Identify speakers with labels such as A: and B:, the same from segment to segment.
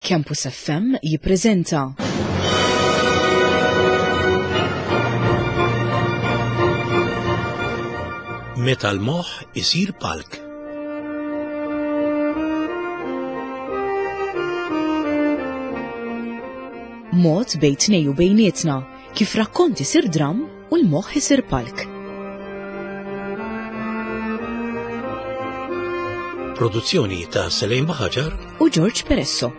A: Campus FM jippreżenta.
B: Meta l-moħħ isir palk.
A: Mod bejn tnej u bejnietna kif rakkont isir dramm u l-moħħ isir palk.
B: Produzzjoni ta' Selejn Baħaġar
A: u George Peresso.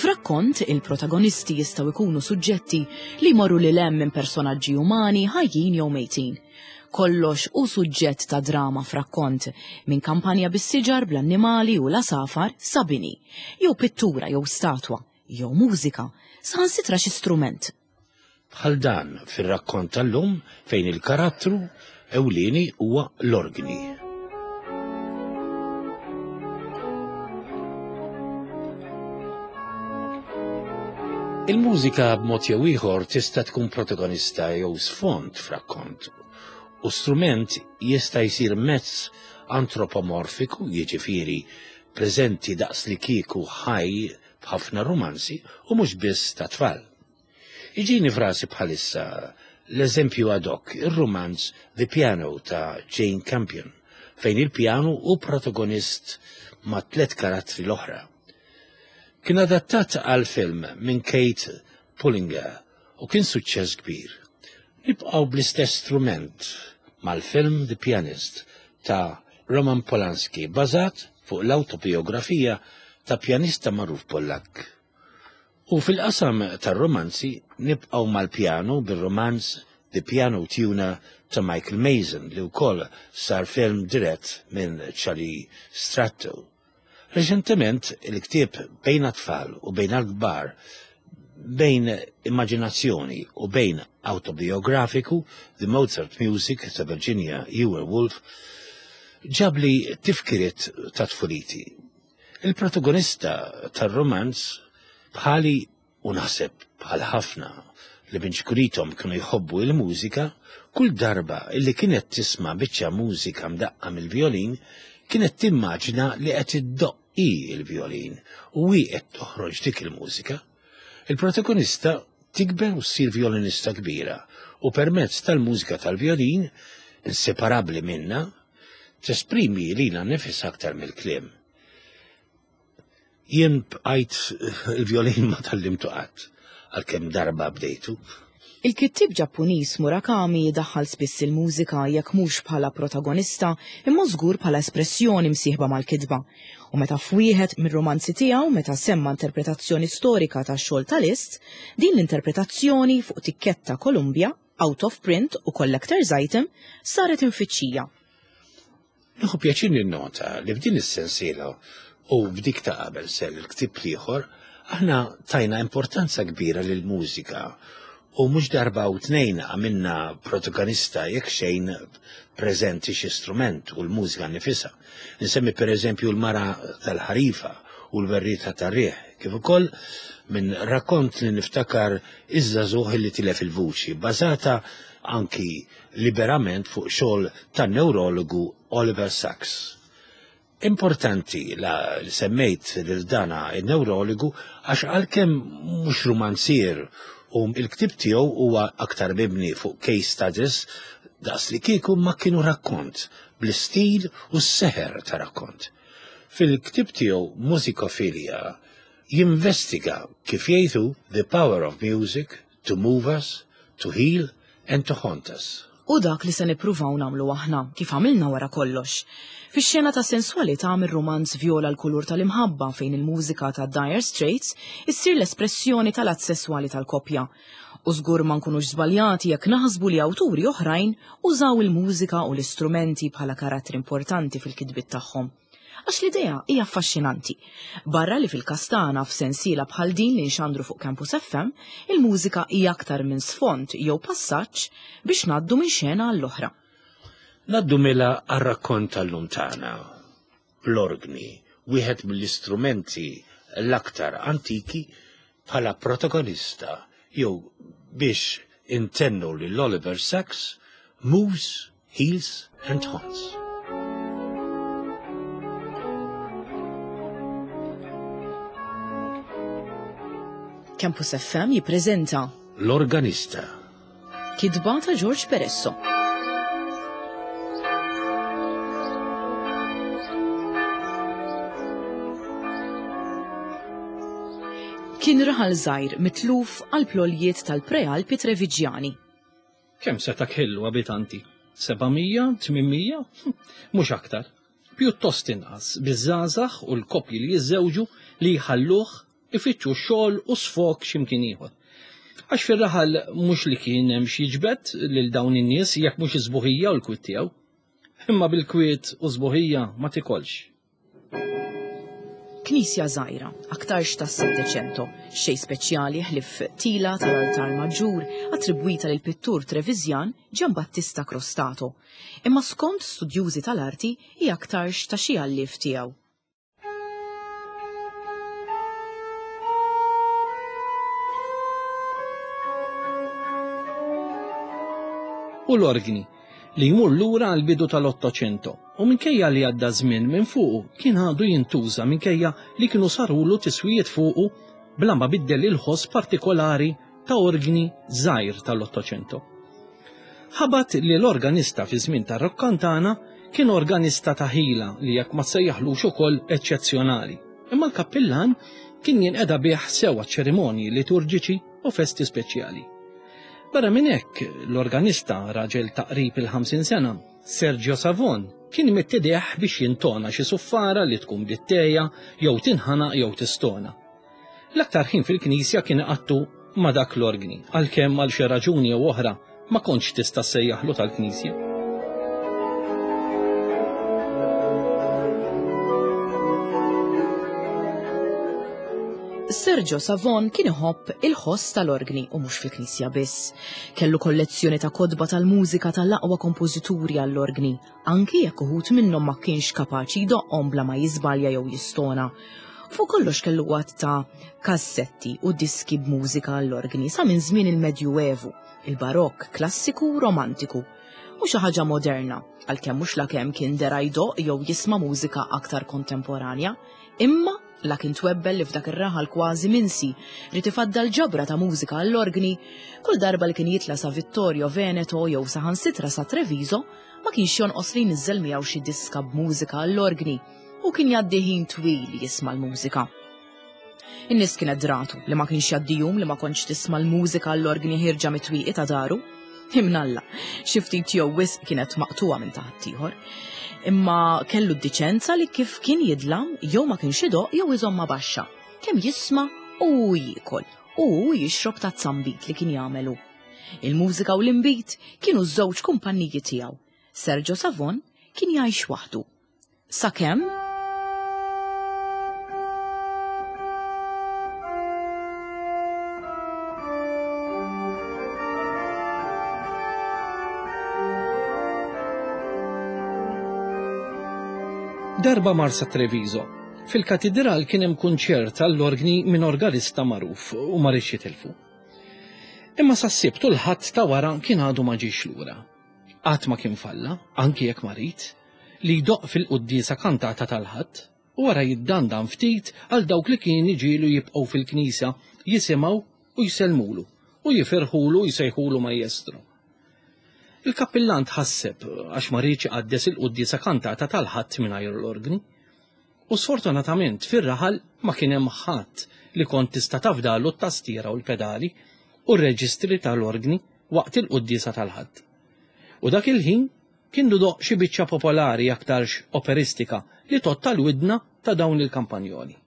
A: F'rakkont, il-protagonisti jistgħu jkunu suġġetti li jmorru lil hemm minn personaġġi umani ħajjin jew mejtin. Kollox hu suġġett ta' drama f'rakkont, minn kampanja bis-siġar bl-annimali u l-għasafar sa bini, jew pittura jew statwa, jew mużika, saħansitra xi strument.
B: Bħal dan fir-rakkont tal-lum fejn il-karattru ewlieni huwa l-orgni. Il-mużika b'mod jew ieħor tista' tkun protagonista jew sfond f'rakkont, u strument jista' jsir mezz antropomorfiku, jiġifieri preżenti daqs li kieku ħaj f'ħafna rumanzi u mhux biss tat-tfal. Iġini f'rasi bħalissa l-eżempju ad hoc, ir-rumanz The Piano ta' Jane Campion, fejn il-pjanu hu protagonist mat-tliet karattri l-oħra. Kien adattat għal film minn Kate Pullinger u kien suċċess kbir. Nibqgħu bl-istess strument mal-film The Pianist ta' Roman Polanski bażat fuq l-awtobijografija ta' pjanista magħruf Pollakk. U fil-qasam tar-romanzi nibqgħu mal-pjanu bir-romanz The Piano Tuner ta' Michael Mason li wkoll sar film dirett minn Charlie Stratto. Reċentement il-ktieb Bejn għat-Tfal u Bejn għall-Kbar, bejn immaġinazzjoni u bejn awtobijografiku, The Mozart Music ta' Virginia Euwer Wolff, ġabli tifkiriet ta' tfuliti. Il-protagonista tar-rumanz bħali u naħseb bħal ħafna li minn ċkurithom kienu jħobbu il-mużika, kull darba illi kienet tisma' biċċa mużika mdaqqa mill-vjolin, kienet timmaġina li qed iddoqq hi l-vjolin u hi qed toħroġ dik il-mużika. Il-protagonista tikber u ssir vjolinista kbira u permezz tal-mużika tal-vjolin, inseparabbli minnha, tesprimi lilha nnifisha aktar mill-kliem. Jien bqajt il-vjolin ma tgħallimtu qatt, għalkemm darba bdejtu.
A: Il-kittieb Ġappuniż Murakami jdaħħal spiss il-mużika jekk mhux bħala protagonista imma żgur bħala espressjoni msieħba mal-kitba. U meta f'wieħed mir-rumanzi tiegħu meta semma interpretazzjoni storika tax-xogħol ta' Liszt, din l-interpretazzjoni fuq tikketta Columbia, out of print u collector's item, saret imfittxija.
B: Nieħu pjaċir ninnota li f'din is-sensiela u f'dik ta' qabel sel il-ktieb l-ieħor, aħna tajna importanza kbira lill-mużika u mhux darba u tnejn għamilna protagonista jekk xejn preżenti xi strument u l-mużika nnifisha. Insemmi pereżempju l-mara tal-ħarifa u l-werrieta tar-riħ, kif ukoll minn rakkont li niftakar iż-żagħżugħ li tilef il-vuċi, bbażata anki liberament fuq xogħol tan-newrologu Oliver Sacks. Importanti la li semmejt lil dana in-newrologu għax għalkemm mhux rumanzier u l-ktieb tiegħu huwa aktar mibni fuq case studies daqs li kieku ma kienu rakkont bl-istil u s-seħer ta' rakkont. Fil-ktieb tiegħu Musicophilia jinvestiga kif jgħid hu the power of music to move us, to heal and to haunt us.
A: Hu dak li se nippruvaw nagħmlu aħna, kif għamilna wara kollox. Fix-xena ta' senswalità mir-rumanz Vjola l-Kulur tal-Imħabba fejn il-mużika ta' Dire Straits issir l-espressjoni tal-att sesswali tal-koppja. U żgur ma nkunux żbaljati jekk naħsbu li awturi oħrajn użaw il-mużika u l-istrumenti bħala karattri importanti fil-kitbiet tagħhom. Għax l-idea hija affaxxinanti. Barra li fil-każ tagħna f'sensiela bħal din li nxandru fuq Campus FM, il-mużika hija aktar minn sfond jew passaġġ biex ngħaddu minn xena għall-oħra.
B: Ngħaddu mela għar-rakkont tal-lum tagħna. L-orgni, wieħed mill-istrumenti l-aktar antiki bħala protagonista jew biex intennu lil Oliver Sacks, moves. Heels and Horns.
A: Campus FM jippreżenta
B: L-Organista.
A: Kitba ta' George Peresso. Kien raħal żgħir mitluf għal ploljiet tal-Prealpi Treviġjani.
C: Kemm seta' kellu abitanti? 700, 800? Mhux aktar. Pjuttost inqas, biż-żgħażagħ u l-koppji li jiżżewġu li jħalluh ifittxu xogħol u sfog x'imkien ieħor. Għax fir-raħal mhux li kien hemm xi jiġbed lil dawn in-nies jekk mhux is-sbuħija u l-kwiet tiegħu. Imma bil-kwiet u sbuħija ma tikolx.
A: Knisja żgħira, aktarx tas-Settecento, xejn speċjali ħlief tila tal-altar maġġur attribwita lil pittur Treviżjan Giambattista Crostato, imma skont studjużi tal-arti hi aktarx ta' xi alliev tiegħu.
C: U l-orgni, li jmur lura għall-bidu tal-Ottocento u minkejja li għadda żmien minn fuqu kien għadu jintuża minkejja li kienu sarulu tiswijiet fuqu bla ma biddel il-ħoss partikolari ta' orgni żgħir tal-Ottocento. Ħabat li l-organista fi żmien ta' Roccantana kien organista ta' ħila li jekk ma tsejjaħlux ukoll eċċezzjonali. Imma l-kappillan kien jinqeda bih sew għaċ-ċerimonji liturġiċi u festi speċjali. Barra minn hekk, l-organista, raġel ta' qrib il-50 sena, Sergio Savon, kien imidd idejh biex jintona xi suffara li tkun bdiet tgħejja jew tinħanaq jew tistona. L-aktar ħin fil-knisja kien iqattu ma' dak l-orgni, għalkemm għal xi raġuni jew oħra ma kontx tista' ssejjaħlu tal-knisja.
A: Sergio Savon kien iħobb il-ħoss tal-orgni u mhux fil-knisja biss. Kellu kollezzjoni ta' kotba tal-mużika tal-aqwa kompożituri għall-orgni, anki jekk uħud minnhom ma kienx kapaċi jdoqqhom bla ma jiżbalja jew jistona. Fuq kollox kellu għadd ta' kassetti u diski b'mużika għall-orgni sa minn żmien il-Medjuevu, il-Barokk, klassiku u romantiku. U xi ħaġa moderna, għalkemm mhux lakemm kien dera jdoqq jew jisma' mużika aktar kontemporanja, imma La kien twebbel li f'dak ir-raħal kważi minsi ried ifaddal ġabra ta' mużika għall-orgni, kull darba li kien jitla' sa Vittorio Veneto jew saħansitra sa Treviso, ma kienx jonqos li jniżżel miegħu xi diska b'mużika għall-orgni u kien jgħaddi ħin twil jisma' l-mużika. In-nies kienet dratu li ma kienx jgħaddi jum li ma kontx tisma' l-mużika għall-orgni ħierġa mit-twieqi ta' daru. Imnalla, xi ftit jew wisq kienet maqtugħa minn ta' ħaddieħor. Imma kellu d-diċenza li kif kien jidlam jew ma kienx idoqq jew iżommha baxxa, kemm jisma' u hu jiekol u hu jixrob tazza nbid li kien jagħmel hu. Il-mużika u l-inbid kienu ż-żewġ kumpanniji tiegħu. Sergio Savon kien jgħix waħdu. Sakemm
C: Darba mar sa Treviso. Fil-katidral kien hemm kunċert għall-orgni minn organista magħruf u ma riedx jitilfu. Imma sas-Sibt u l-Ħadd ta' wara kien għadu ma ġiex lura. Qatt ma kien falla, anki jekk marid, li jdoqq fil-quddiesa kantata tal-Ħadd u wara jiddandan ftit għal dawk li kien iġiegħlu jibqgħu fil-knisja jisimgħu u jsellmulu u jifirħulu u jsejħulu majestro. Il-kappillan tħasseb għax ma riedx iqaddes il-quddiesa kantata tal-Ħadd mingħajr l-orgni. U sfortunatament fir-raħal ma kien hemm ħadd li kont tista' tafdalu t-tastiera u l-pedali u r-reġistri tal-orgni waqt il-quddiesa tal-Ħadd. U dak il-ħin kien idoqq xi biċċa popolari aktarx operistika li tgħodd għall-widna ta' dawn il-kampanjoli.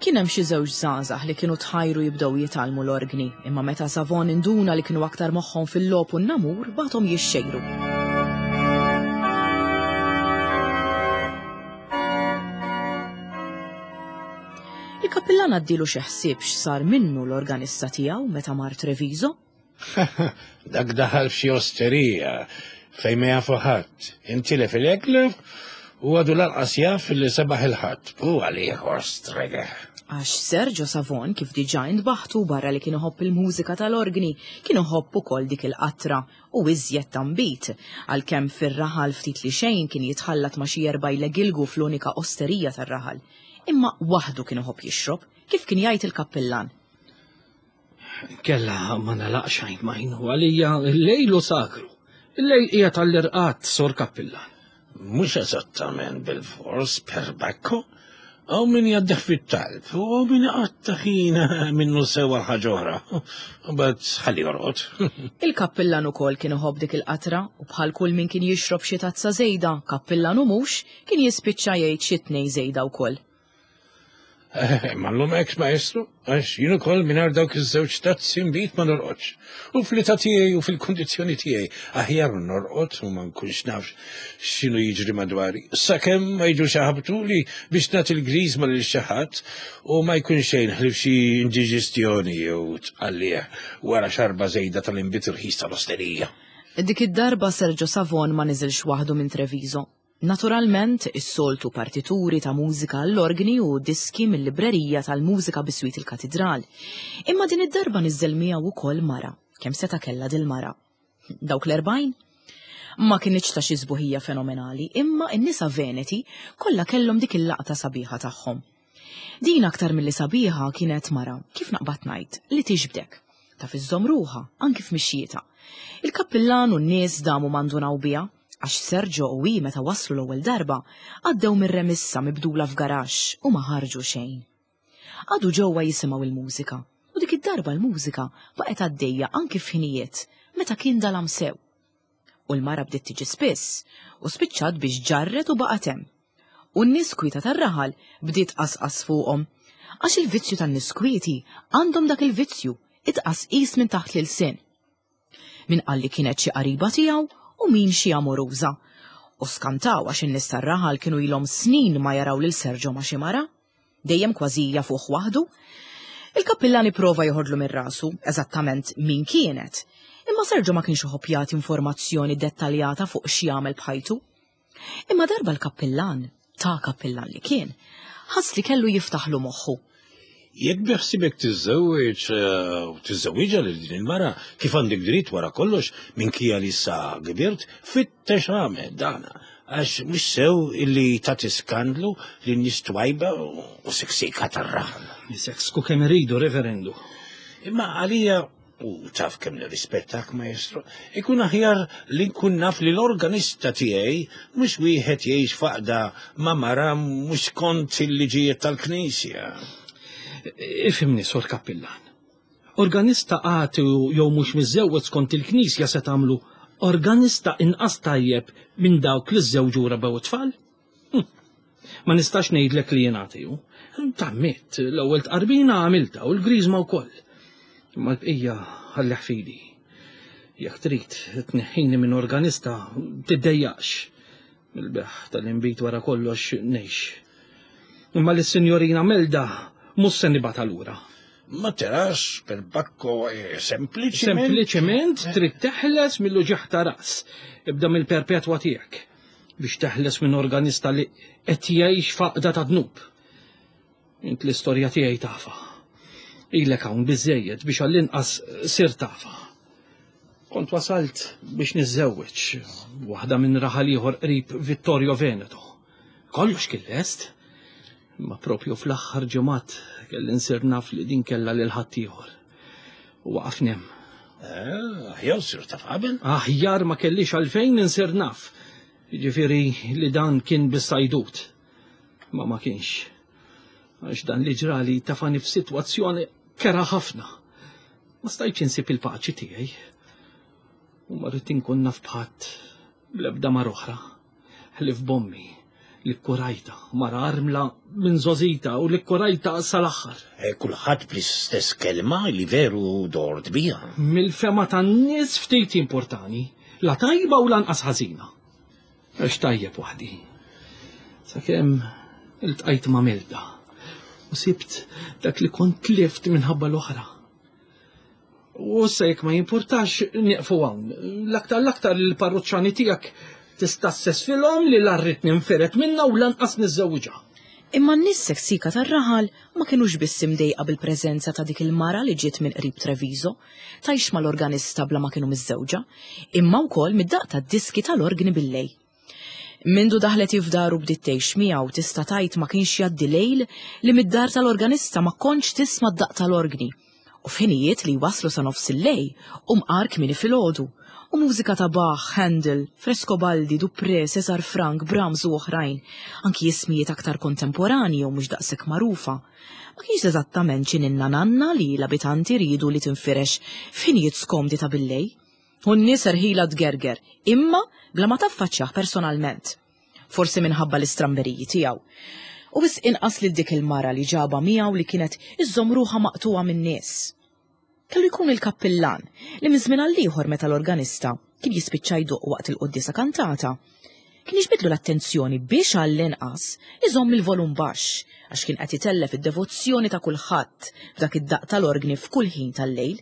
A: Kien hemm xi żewġ żgħażagħ li kienu tħajru jibdew jitgħallmu l-orgni, imma meta Savon induna li kienu aktar moħħhom fil-logħob u n-namur bagħathom jixxejru. Il-kappillan għaddielu xi ħsieb x'sar minnu l-organista tiegħu meta mar Treviso?
B: Dak daħal f'xi osterija fejn ma jafu ħadd. Intilef il-eklef u għadu lanqas jaf li sebaħ il-ħadd. U għalih ostrega.
A: Għax Sergio Savon, kif diġà intbaħtu barra li kien iħobb il-mużika tal-orgni, kien iħobb ukoll dik il-qatra u iżjed ta' nbid, għalkemm fir-raħal ftit li xejn kien jitħallat ma' xi erba' jlegilgu fl-unika osterija tar-raħal. Imma waħdu kien iħobb jixrob, kif kien jgħid il-kappillan.
C: Kella ma nalaqx għajn majn u għalija l-lejlu sagru. Il-lejl qiegħed għall-irqad, sor kappillan.
B: Mhux eżattament bil-fors per bakko. Hawn min jgħaddih fit-talb u hawn min iqatta' ħin minnu sew għal ħaġa oħra. Mbagħad ħalli jorqod.
A: Il-kappillan ukoll kien iħobb dik il-qatra u bħal kull min kien jixrob xi tazza żejda, kappillan u mhux, kien jispiċċa jgħid xi tnejn żejda wkoll.
B: Eh, ma llum hekk maestro, għax jien ukoll mingħajr dawk iż-żewġ tazzi nbid ma norqodx. U fl-età tiegħi u fil-kundizzjoni tiegħi aħjar norqod u ma nkunx naf x'inhu jiġri madwari. Sakemm ma jiġux jaħabtuli biex nagħti l-griżma lil xi ħadd u ma jkun xejn ħlief xi indiġestjoni jew tqallih wara xarba żejda tal-inbid irħis tal-osterija.
A: Dik id-darba Sergio Savon ma niżilx waħdu minn Treviso. Naturalment, is-soltu partituri ta' mużika għall-orgni u diski mil-librerija tal-mużika biswit il-katidral. Imma din id-darba niżżel miegħu wkoll mara. Kemm seta' kellha dil-mara? Dawk l-40? Ma kinitx ta' xi sbuħija fenomenali, imma n-nisa Veneti kollha kellhom dik il-laqta sabiħa tagħhom. Din aktar milli sabiħa kienet mara, kif naqbad ngħid, li tixbdek. Taf iżżomm ruħha, anki f'mixjietha. Il-kappillan u n-nies damu ma ndunaw biha, għax Sergio u hi meta waslu l-ewwel darba, għaddew mir-remissa mibdula f'garaxx u ma ħarġu xejn. Qagħdu ġewwa jisimgħu l-mużika, u dik id-darba l-mużika baqgħet għaddejja anki f'ħinijiet meta kien dalam sew. U l-mara bdiet tiġi spiss u spiċċat biex ġarret u baqgħet hemm. U n-nies kwieta tar-raħal bdiet tqasqas fuqhom. Għax il-vizzju tan-nies kwieti għandhom dak il-vizzju, it-tqasqis minn taħt l-ilsien. Min qal li kienet xi qariba tiegħu u min xi amoruża. U skantaw għax in-nies tar-raħal kienu ilhom snin ma jaraw lil Sergio ma' xi mara. Dejjem kważi jafuh waħdu. Il-kappillan ipprova joħodlu minn rasu eżattament min kienet, imma Sergio ma kienx iħobb jagħti informazzjoni dettaljata fuq x'jagħmel b'ħajtu. Imma darba l-kappillan, ta' kappillan li kien, ħass li kellu jiftaħlu moħħu.
B: Jekk biħsibek tiżżewweġ eh, u tiżżewwiġha lil din il-mara, kif għandek dritt wara kollox minkejja li issa kbirt, fittex għamel dana għax mhux sew illi tagħti skandlu lin nies twajba u siksika tar-raħal.
C: Niseksku kemm iridu, reverendu.
B: Imma għalija U taf kemm nirrispettak, maestro, ikun aħjar li nkun naf li l-organista tiegħi mhux wieħed jgħix faqda ma' mara mhux skont il-liġijiet tal-Knisja.
C: Ifhimni, Sor Kappillan. Organista għati jew mhux miżżewweġ skont il-Knisja se tagħmlu organista inqas tajjeb minn dawk li żżewġu rabew it-tfal? Hm. Ma nistax ngħidlek li jien għatiju. Tammitt, l-ewwel tqarbina għamilta u l-griżma wkoll. Imma l-bqija ħallih fidi. Jekk trid tneħħini minn organista, tiddejjaqx. Mill-beħ tal-inbid wara kollox ngħix. Imma lis-Sinjorina Melda mhux se nibgħatha lura.
B: Ma tarax per bakko eh, sempliċiment.
C: Sempliċiment trid teħles mill-uġigħ ta' ras. Ibda mill-perpetwa tiegħek. biex teħles minn organista li qed jgħix faqda ta' dnub. Int l-istorja tiegħi tafa. Ilek hawn biżejjed biex għall-inqas sir tafa. Kont wasalt biex niżżewweġ waħda minn raħal ieħor qrib Vittorio Veneto. Kollox kien lest. Imma propju fl-aħħar ġimgħat kelli nsir naf li din kellha lil ħaddieħor. U waqafni hemm.
B: Eh, aħjar sir taf qabel?
C: Aħjar ma kellix għalfejn insir naf. Jiġifieri li dan kien biss għajdut. Ma ma kienx. Għax dan li ġrali tafani f'sitwazzjoni kera ħafna. Ma stajtx insib il-paċi tiegħi. U ma rrid inkun naf bħadd bl-ebda mar oħra. Ħlief b'ommi li kkurajta, mara armla minn żgħożita u li kkurajta sal-aħħar.
B: Eh, kulħadd bl-istess kelma li veru dort biha.
C: Mill-fema tan-nies ftit importani, la tajba u lanqas ħażina. Għax tajjeb waħdi. Sakemm iltqajt ma' Melda u sibt dak li kont tlift minħabba l-oħra. U issa jekk ma jimpurtax nieqfu hawn. L-aktar l-aktar li l-parruċċani tiegħek tista' ssesfilhom li la rrid ninfired minnha u lanqas niżżewwiġha.
A: Imma n-nies seksika tar-raħal ma kinux biss imdejqa bil-preżenza ta' dik il-mara li ġiet minn qrib Treviso, tgħix mal-organista bla ma kienu miżżewġa, imma wkoll mid-daqq tad-diski tal-orgni billejl. Mindu daħlet hi f'daru bdiet tgħix miegħu tista' tgħid ma kienx jgħaddi lejl li mid-dar tal-organista ma kontx tisma' d-daqq tal-orgni. U f'ħinijiet li jwasslu sa nofs il-lejl u mqar kmieni filgħodu. U mużika ta' Bach, Handel, Frescobaldi, Dupré, Cesar Franck, Brahms u oħrajn, anki ismijiet aktar kontemporanji jew mhux daqshekk magħrufa. Ma kienx eżattament xi ninna nanna li l-abitanti riedu li tinfirex f'ħinijiet skomdi ta' billejl. U n-nies erħilha tgerger, imma bla ma taffaċċjah personalment. Forsi minħabba l-istramberiji tiegħu. U wisq inqas lil dik il-mara li ġabha miegħu li kienet iżżomm ruħha maqtugħa min-nies. Kellu jkun il-kappillan li minn żmien għall-ieħor meta l-organista kien jispiċċa jdoqq waqt il-quddiesa kantata, kien jiġbidlu l-attenzjoni biex għall-inqas iżomm il-volum baxx għax kien qed itellef id-devozzjoni ta' kulħadd b'dak id-daqq tal-orgni f'kull ħin tal-lejl.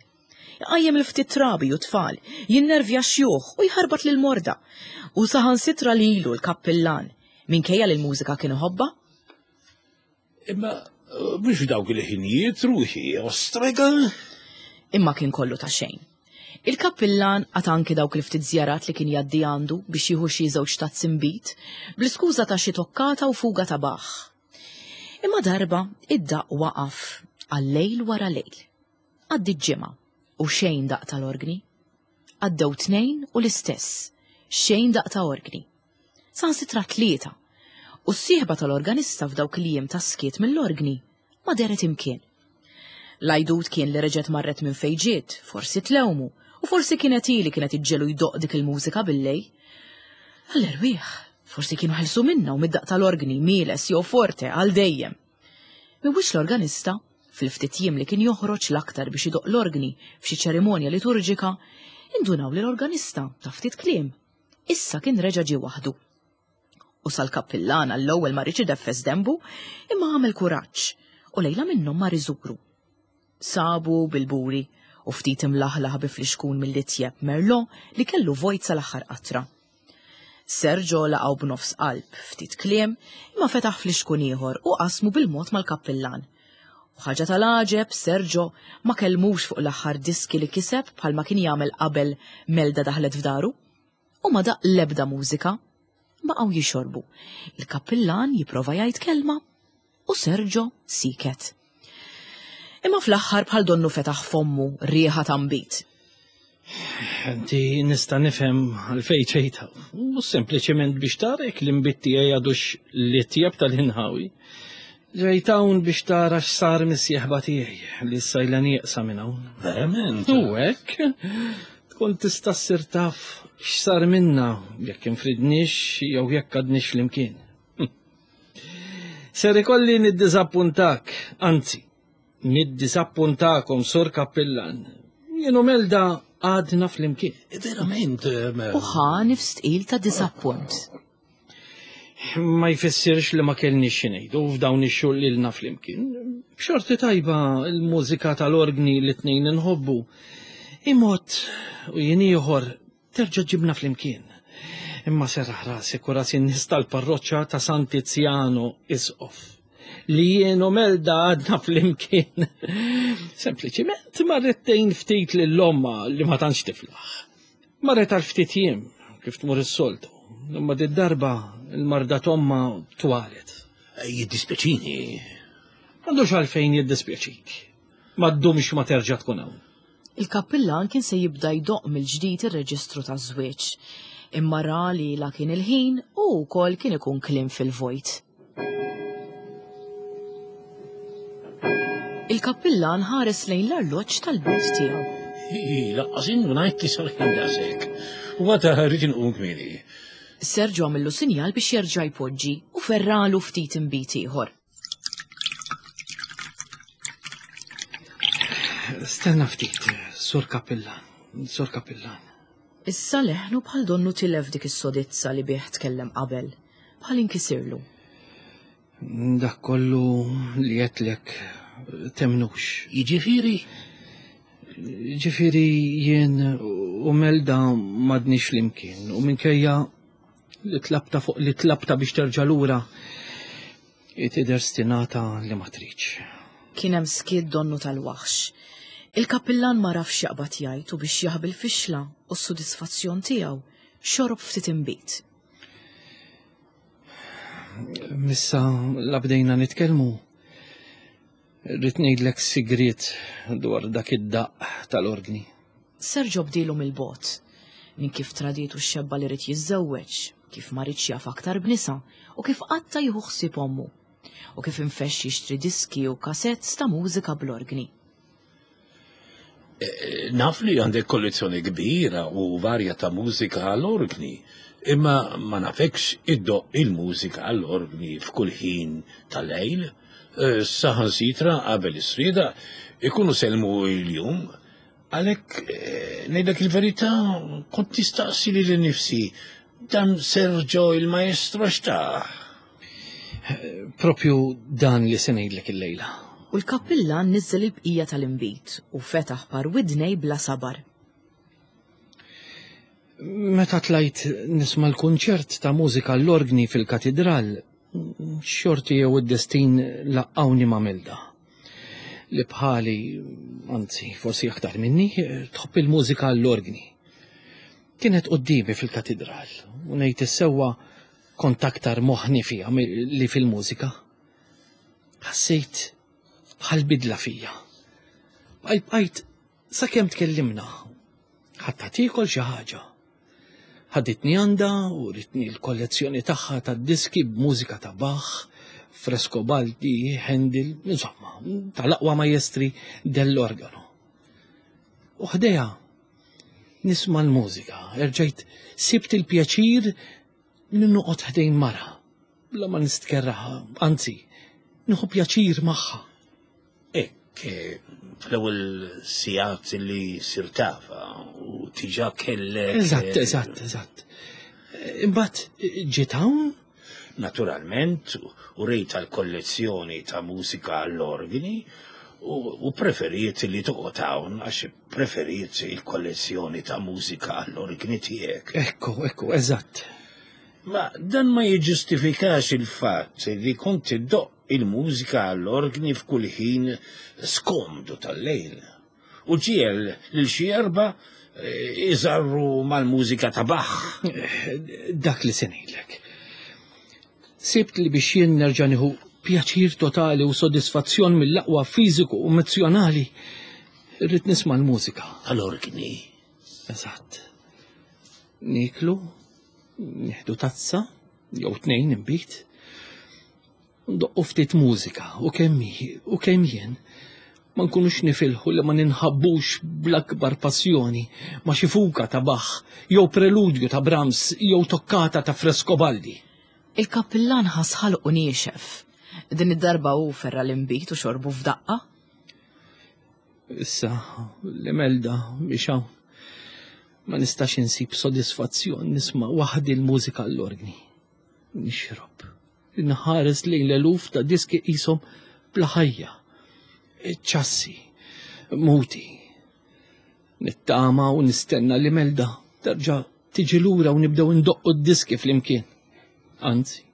A: Iqajjem il-ftit trabi u tfal, jinnervja x-xjuħ u jħarbat lill-morda. U saħansitra lilu l-kappillan, minkejja li l-mużika kien iħobbha.
B: Imma biex f'dawk il-ħinijiet ruħi ostrega.
A: Imma kien kollu ta' xejn. Il-kappillan qata' anki dawk il-ftit żjarat li kien jgħaddi għandu biex jieħu xi żewġ tazzi nbid, bl-iskuża ta' xi toccata u fuga ta' Bach. Imma darba id-daqq waqaf għal lejl wara lejl. Għaddiet ġimgħa u xejn daqq tal-orgni. Għaddew tnejn u l-istess, xejn daqq ta' orgni. Saħansitra tlieta. U s-sieħba tal-organista f'dawk il-jiem ta' skiet mill-orgni ma dehret imkien. L-għajdut kien li reġgħet marret minn fejn ġiet, forsi tlewmu, u forsi kienet hi li kienet iġġegħlu jdoqq dik il-mużika billejl. Għall-erwieħ, forsi kienu ħelsu minnha u mid-daqq tal-orgni, mieles jew forte, għal dejjem. Minn wiċċ l-organista, fil-ftit jiem li kien joħroġ l-aktar biex idoqq l-orgni f'xi ċerimonja liturġika, indunaw li l-organista ta' ftit kliem issa kien reġa' ġie waħdu. U sal-kappillan għall-ewwel ma riedx ideffes denbu, imma għamel kuraġġ u lejla minnhom mar iżuru. Sabu bil-buri u ftit imlaħlaħ bi flixkun mill-itjeb Merlot li kellu vojt sal-aħħar qatra. Sergio laqgħu b'nofs qalb, ftit kliem, imma fetaħ flixkun ieħor u qasmu bil-mod mal-kappillan. U ħaġa tal-għaġeb, Sergio ma kellmux fuq l-aħħar diski li kiseb bħalma kien jagħmel qabel Melda daħlet f'daru. U ma daqq l-ebda mużika. Baqgħu jixorbu. Il-kappillan jipprova jgħid kelma u Sergio siket. Imma fl-aħħar bħal donnu fetaħ fommu riħa ta' nbid.
C: Inti nista' nifhem għalfejn ġejt hawn. Mhux sempliċement biex tara jekk l-inbid tiegħi għadux li tjeb tal-inħawi. Ġejt hawn biex tara x'sar mis-sieħba tiegħi li issa ilha nieqsa minn hawn.
B: Verament?
C: U hekk tkun tista' ssir taf x'sar minna jekk infridniex jew jekk għadniex flimkien. Ser ikolli niddiżappuntak, anzi, niddiżappuntakom, Sur Kappillan. Jien u Melda għadna flimkien.
B: Verament.
A: Eh, u ħa nifs tqil ta' diżappunt.
C: Ma jfissirx li ma kellniex xi ngħidu f'dawn ix-xhur li lna flimkien. B'xorti tajba l-mużika tal-orgni li tnejn inħobbu. Imot u jien ieħor Terġa' ġibna flimkien. Imma serraħ rasek u ras in-nies tal-parroċċa ta' San Tiziano Isqof li jien u Melda għadna flimkien. Sempliċiment marret tgħin ftit lil omma li ma tantx tiflaħ. Marret għal ftit jiem kif tmur is-soltu, imma did-darba l-marda t'omma twalet.
B: Jiddispjaċini.
C: M'għandux għalfejn jiddispjaċik. Ma ddumx ma terġa' tkun hawn.
A: Il-kappillan kien se jibda jdoqq mill-ġdid ir-reġistru taż-żwieġ, imma ra li la kien il-ħin u wkoll kien ikun kliem fil-vojt. Il-kappillan ħares lejn l-arloġġ tal-but tiegħu.
B: Hi, laqqas indunajt li sar ħin daqshekk. U għada rrid inqum kmieni.
A: Sergio għamillu sinjal biex jerġa' jpoġġi u ferralu ftit inbid ieħor.
C: Stenna ftit, Sur Kapillan, Sur Kapillan.
A: Issa leħnu bħal donnu tilef dik is-sodizza li bih tkellem qabel, bħal inkisirlu.
C: Dak kollu li għedtlek temnux.
B: Jiġifieri?
C: Ġifieri jien u Melda m'għadniex flimkien u minkejja li tlabta fuq li tlabta biex terġa' lura. Tidher stinata li ma tridx.
A: Kien hemm skiet donnu tal-waħx. Il-kappillan ma rafx jaqbad jgħid u biex jaħbi l-fixla u s-sodisfazzjon tiegħu xorob ftit inbid.
C: Missa la bdejna nitkellmu, rrid ngħidlek sigriet dwar dak id-daqq tal-orgni.
A: Sergio bdielu mill-bogħod, minn kif tradietu x-xebba li ried jiżżewweġ, kif ma riedx jaf aktar b'nisa u kif qatta' jieħu ħsieb ommu, u kif infexx jixtri diski u cassettes ta' mużika bl-orgni.
B: Naf li għandek kollezzjoni kbira u varja ta' mużika għall-orgni, imma ma nafekx iddoqq il-mużika għall-orgni f'kull ħin tal-lejl. Saħansitra qabel is-srieda ikunu sellmu l-jum. Għalhekk ngħidlek il-verità kont nistaqsi lili nnifsi dan Sergio il-maestro x'tah?
C: Propju dan li se ngħidlek illejla.
A: U l-kappillan niżżel il-bqija tal-inbid u fetaħ par widnej bla sabar.
C: Meta tlajt nisma' l-kunċert ta' mużika l-orgni fil-katidral, xorti jew id-destin laqqawni ma' Melda. Li bħali, anzi, forsi aktar minni, tħobb il-mużika l-orgni. Kienet quddiemi fil-katidral u ngħid is-sewwa kont aktar moħħni fiha li fil-mużika. Ħassejt bħal bidla fija. Bqajt bqajt sakemm tkellimna. Ħatta tiekol xi ħaġa. Ħaditni għandha u ritni l-kollezzjoni tagħha ta' diski b'mużika ta' Bach, Frescobaldi, Handel, insomma, tal-aqwa majestri dell-organo. U ħdejha nisma' l-mużika, erġajt sibt il-pjaċir li noqgħod ħdejn mara, bla ma nistkerraha, anzi, nieħu pjaċir magħha.
B: Hekk, fl-ewwel sigħat li sirt tafha u tiġa kellek.
C: Eżatt, eżatt, eżatt. Imbagħad ġiet hawn?
B: Naturalment, u rejtha l-kollezzjoni ta' mużika għall-orgni u preferiet li toqgħod hawn għax preferiet il-kollezzjoni ta' mużika għall-orgni tiegħek.
C: Ekku, ekku, eżatt.
B: Ma dan ma jiġġustifikax il-fatt li kont iddoqq il-mużika għall-orgni f'kull ħin skomdu tal-lejl u ġiegħel lil xi erbgħa iżarru mal-mużika ta' Bach.
C: Dak li se ngħidlek. Sibt li biex jien nerġa' nieħu pjaċir totali u sodisfazzjon mill-aqwa fiżiku u emozzjonali, irrid nisma' l-mużika.
B: Tal-orgni.
C: Eżatt. Nieklu, nieħdu tazza, jew tnejn inbid, Ndoqqu ftit mużika u kemm hi u kemm jien ma nkunux nifilħu li ma ninħabbux bl-akbar passjoni ma' xi fuga ta' Bach jew preludju ta' Brahms jew toccata ta' Frescobaldi.
A: Il-kappillan ħass ħalqu niexef. Din id-darba hu ferra' l-inbid u xorbu f'daqqa.
C: Issa, l-Imelda biex hawn ma nistax insib sodisfazzjon nisma' waħdi l-mużika l-orgni. Nixrob. Inħares lejn l-eluf ta' diski qishom bla ħajja. Ċassi, muti. Nittama u nistenna li Melda terġa' tiġi lura u nibdew indoqqu d-diski flimkien. Anzi,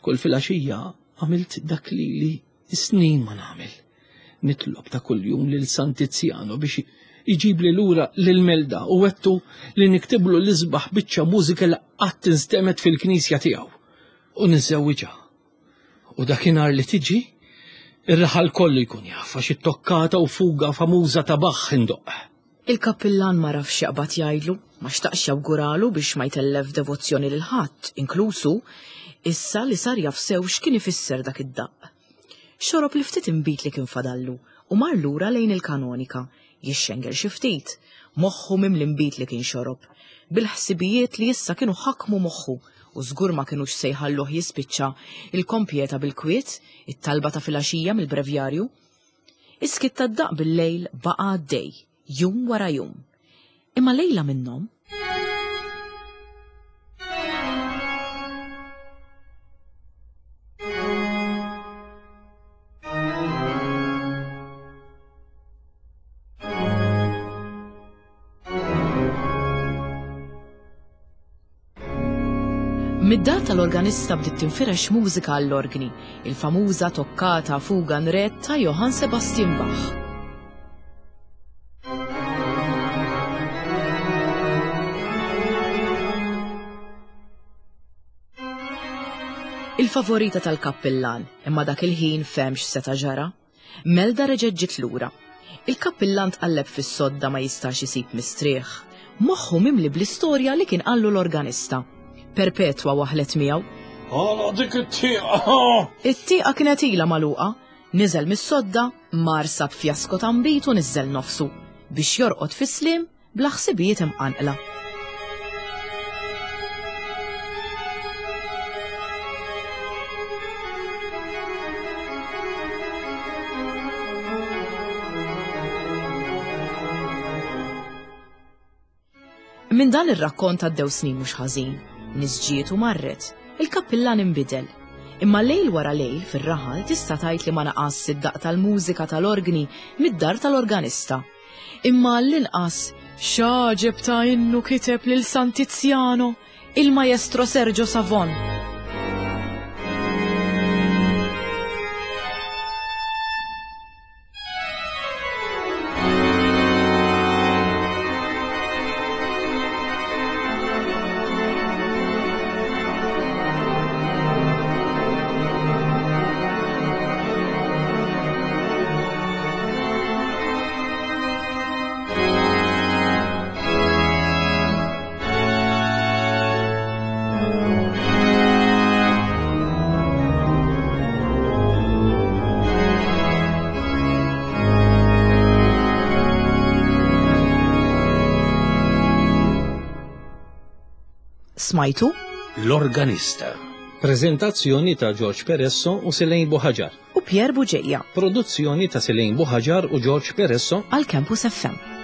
C: kull filgħaxija għamilt dak li li snin ma nagħmel. Nitlob ta' kuljum lil San Tiziano biex iġibli lura lil Melda u wettu li niktiblu l-isbaħ biċċa mużika li qatt instemgħet fil-knisja tiegħu u niżżewwiġha. U dakinhar li tiġi, ir-raħal kollu jkun jaf għax it-toccata u fuga famuża ta' Bach indoqq.
A: Il-kappillan ma rafx x'jaqbad jgħidlu, ma xtaqx jawguralu biex ma jtellef devozzjoni lil ħadd, inkluż hu, issa li sar jaf sew x'kien ifisser dak id-daqq. Xorob l-ftit inbid li kien fadallu u mar lura lejn il-kanonika, jixxengel xi ftit, moħħu mimli nbid li kien xorob, bil-ħsibijiet li issa kienu ħakmu moħħu u żgur ma kinux se jħalluh jispiċċa il-kompjeta bil-kwiet, it-talba ta' filgħaxija mill-brevjarju. Is-skiet tad-daqq bil-lejl baqa' għaddej, jum wara jum. Imma lejla minnhom, Mid-dar tal-organista bdiet tinfirex mużika għall-orgni, il-famuża toccata fuga in re ta' Johann Sebastian Bach. Il-favorita tal-kappillan, imma dak il-ħin fehem x'seta' ġara. Melda reġgħet ġiet lura. Il-kappillan tqalleb fis-sodda ma jistax isib mistrieħ. Moħħu mimli bl-istorja li kien qallu l-organista. Perpetwa waħlet miegħu.
C: Għala dik it-tieqa!
A: It-tieqa kienet ilha magħluqa. Niżel mis-sodda, mar sab fjasko ta' nbid u niżżel nofsu biex jorqod fis-sliem bla ħsibijiet imqanqla. Minn dan ir-rakkont għaddew snin mhux ħażin. Nies ġiet u marret. Il-kappillan inbidel. Imma lejl wara lejl fir-raħal tista' tgħid li ma naqas id-daqq tal-mużika tal-orgni mid-dar tal-organista. Imma għall-inqas x'għaġeb ta' innu kiteb lil San Tiziano il-Maestro Sergio Savon. Smajtu?
B: L-organista.
C: Prezentazzjoni ta' George Peresso u Selene Buħaġar.
A: U Pierre Buġeja.
C: Produzzjoni ta' Selene Buħaġar u George Peresso
A: għal Campus FM.